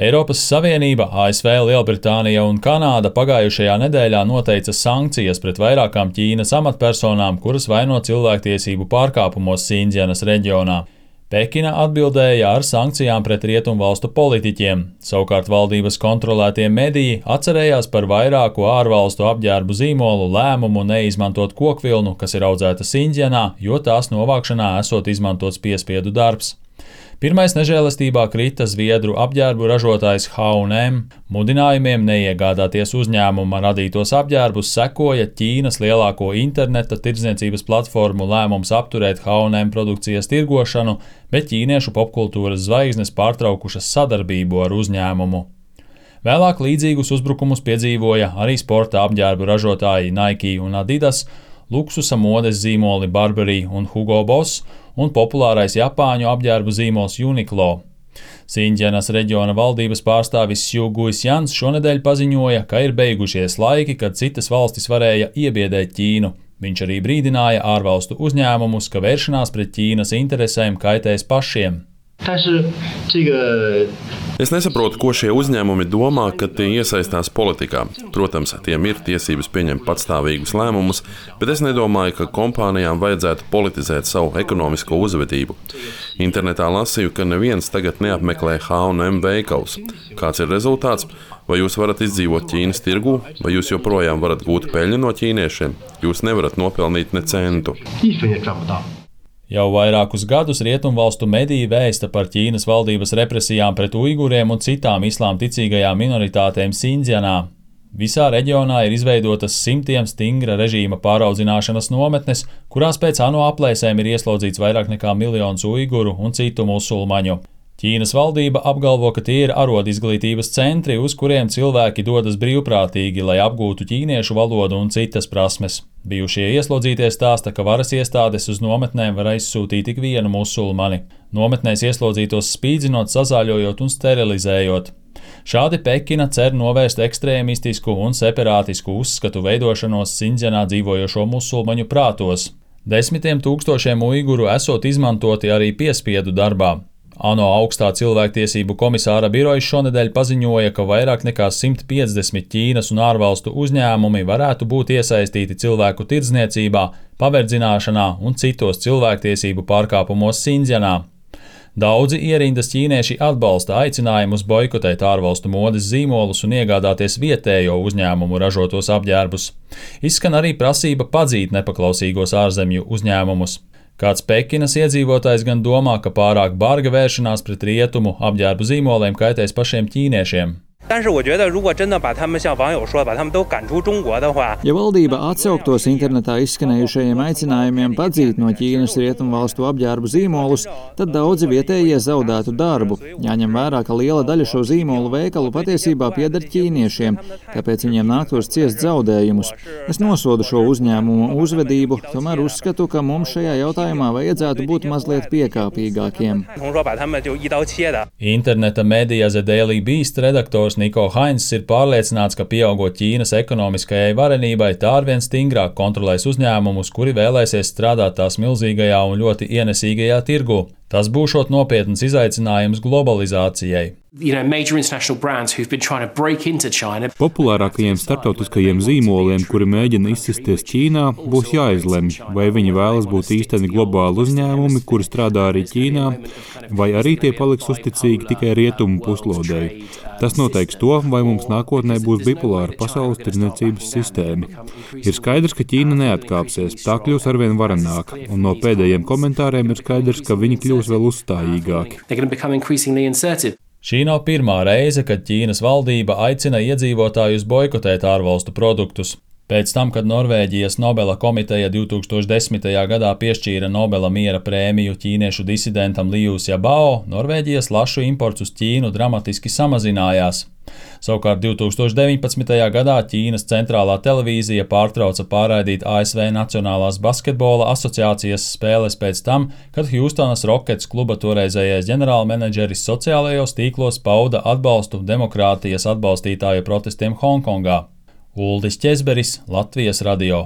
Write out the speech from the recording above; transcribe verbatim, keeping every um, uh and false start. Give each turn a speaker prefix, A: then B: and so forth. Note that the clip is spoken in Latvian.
A: Eiropas Savienība, A S V, Lielbritānija un Kanāda pagājušajā nedēļā noteica sankcijas pret vairākām Ķīnas amatpersonām, kuras vaino cilvēktiesību pārkāpumos Sindzjanas reģionā. Pekina atbildēja ar sankcijām pret rietumvalstu politiķiem, savukārt valdības kontrolētie mediji atcerējās par vairāku ārvalstu apģērbu zīmolu lēmumu neizmantot kokvilnu, kas ir audzēta Sindzjanā, jo tās novākšanā esot izmantots piespiedu darbs. Pirmais nežēlastībā krita Zviedru apģērbu ražotājs H un M. Mudinājumiem neiegādāties uzņēmuma radītos apģērbus sekoja Ķīnas lielāko interneta tirdzniecības platformu lēmums apturēt H un M produkcijas tirgošanu, bet ķīniešu popkultūras zvaigznes pārtraukušas sadarbību ar uzņēmumu. Vēlāk līdzīgus uzbrukumus piedzīvoja arī sporta apģērbu ražotāji Nike un Adidas, luksusa modes zīmoli Burberry un Hugo Boss un populārais Japāņu apģērbu zīmols Uniqlo. Sindzjanas reģiona valdības pārstāvis Sju Guisjans šonedēļ paziņoja, ka ir beigušies laiki, kad citas valstis varēja iebiedēt Ķīnu. Viņš arī brīdināja ārvalstu uzņēmumus, ka vēršanās pret Ķīnas interesēm kaitēs pašiem.
B: Es nesaprotu, ko šie uzņēmumi domā, kad tie iesaistās politikā. Protams, tiem ir tiesības pieņemt patstāvīgus lēmumus, bet es nedomāju, ka kompānijām vajadzētu politizēt savu ekonomisko uzvedību. Internetā lasīju, ka neviens tagad neapmeklē H un M veikals. Kāds ir rezultāts? Vai jūs varat izdzīvot Ķīnas tirgū, vai jūs joprojām varat gūt peļņu no ķīniešiem? Jūs nevarat nopelnīt ne centu.
A: Jau vairākus gadus rietumvalstu mediji vēsta par Ķīnas valdības represijām pret uiguriem un citām islām ticīgajām minoritātēm Sindzjanā. Visā reģionā ir izveidotas simtiem stingra režīma pāraudzināšanas nometnes, kurās pēc ANO aplēsēm ir ieslodzīts vairāk nekā miljons uiguru un citu musulmaņu. Ķīnas valdība apgalvo, ka tie ir arodizglītības centri, uz kuriem cilvēki dodas brīvprātīgi, lai apgūtu ķīniešu valodu un citas prasmes. Bijušie ieslodzītie stāsta, ka varas iestādes uz nometnēm var aizsūtīt tik vienu musulmani. Nometnēs ieslodzītos spīdzinot, sazāļojot un sterilizējot. Šādi Pekina cer novērst ekstrēmistisku un separātisku uzskatu veidošanos Sindzjanā dzīvojošo musulmaņu prātos. Desmitiem tūkstošiem uiguru esot izmantoti arī piespiedu darbā. ANO augstā cilvēktiesību komisāra birojas šonedēļ paziņoja, ka vairāk nekā simt piecdesmit Ķīnas un ārvalstu uzņēmumi varētu būt iesaistīti cilvēku tirdzniecībā, paverdzināšanā un citos cilvēktiesību pārkāpumos Sindzjanā. Daudzi ierindas ķīnieši atbalsta aicinājumus boikotēt ārvalstu modes zīmolus un iegādāties vietējo uzņēmumu ražotos apģērbus. Izskan arī prasība padzīt nepaklausīgos ārzemju uzņēmumus. Kāds Pekinas iedzīvotājs gan domā, ka pārāk barga vēršanās pret rietumu apģērbu zīmoliem kaitēs pašiem ķīniešiem.
C: Ja valdība atsauktos internetā izskanējušajiem aicinājumiem padzīt no Ķīnas rietumvalstu apģērbu zīmolus, tad daudzi vietējie zaudētu darbu. Jāņem vērā, ka liela daļa šo zīmolu veikalu patiesībā pieder ķīniešiem, tāpēc viņiem nāktos ciest zaudējumus. Es nosodu šo uzņēmumu uzvedību, tomēr uzskatu, ka mums šajā jautājumā vajadzētu būt mazliet piekāpīgākiem.
A: Interneta medija The Daily Beast redaktors Niko Hainss ir pārliecināts, ka pieaugot Ķīnas ekonomiskajai varenībai, tā arvien stingrāk kontrolēs uzņēmumus, kuri vēlēsies strādāt tās milzīgajā un ļoti ienesīgajā tirgu. Tas būšot nopietns izaicinājums globalizācijai.
D: Populārākajiem starptautiskajiem zīmoliem, kuri mēģina izsisties Ķīnā, būs jāizlemj, vai viņi vēlas būt īsteni globāli uzņēmumi, kuri strādā arī Ķīnā, vai arī tie paliks uzticīgi tikai rietumu puslodei. Tas noteiks to, vai mums nākotnē būs bipolāra pasaules tirdzniecības sistēma. Ir skaidrs, ka Ķīna neatkāpsies, tā kļūs arvien varenāka, un no pēdējiem komentāriem ir skaidrs, ka viņi kļūs vēl uzstājīgāki.
A: Šī nav pirmā reize, kad Ķīnas valdība aicina iedzīvotājus boikotēt ārvalstu produktus. Pēc tam, kad Norvēģijas Nobela komiteja divi tūkstoši desmitajā gadā piešķīra Nobela miera prēmiju ķīniešu disidentam Liu Xiaobao, Norvēģijas lašu imports uz Ķīnu dramatiski samazinājās. Savukārt divi tūkstoši deviņpadsmitajā gadā Ķīnas centrālā televīzija pārtrauca pārraidīt A S V Nacionālās basketbola asociācijas spēles pēc tam, kad Hjustonas Rockets kluba toreizējais ģenerālmenedžeris sociālajos tīklos pauda atbalstu demokrātijas atbalstītāju protestiem Honkongā. Uldis Ķezberis, Latvijas radio.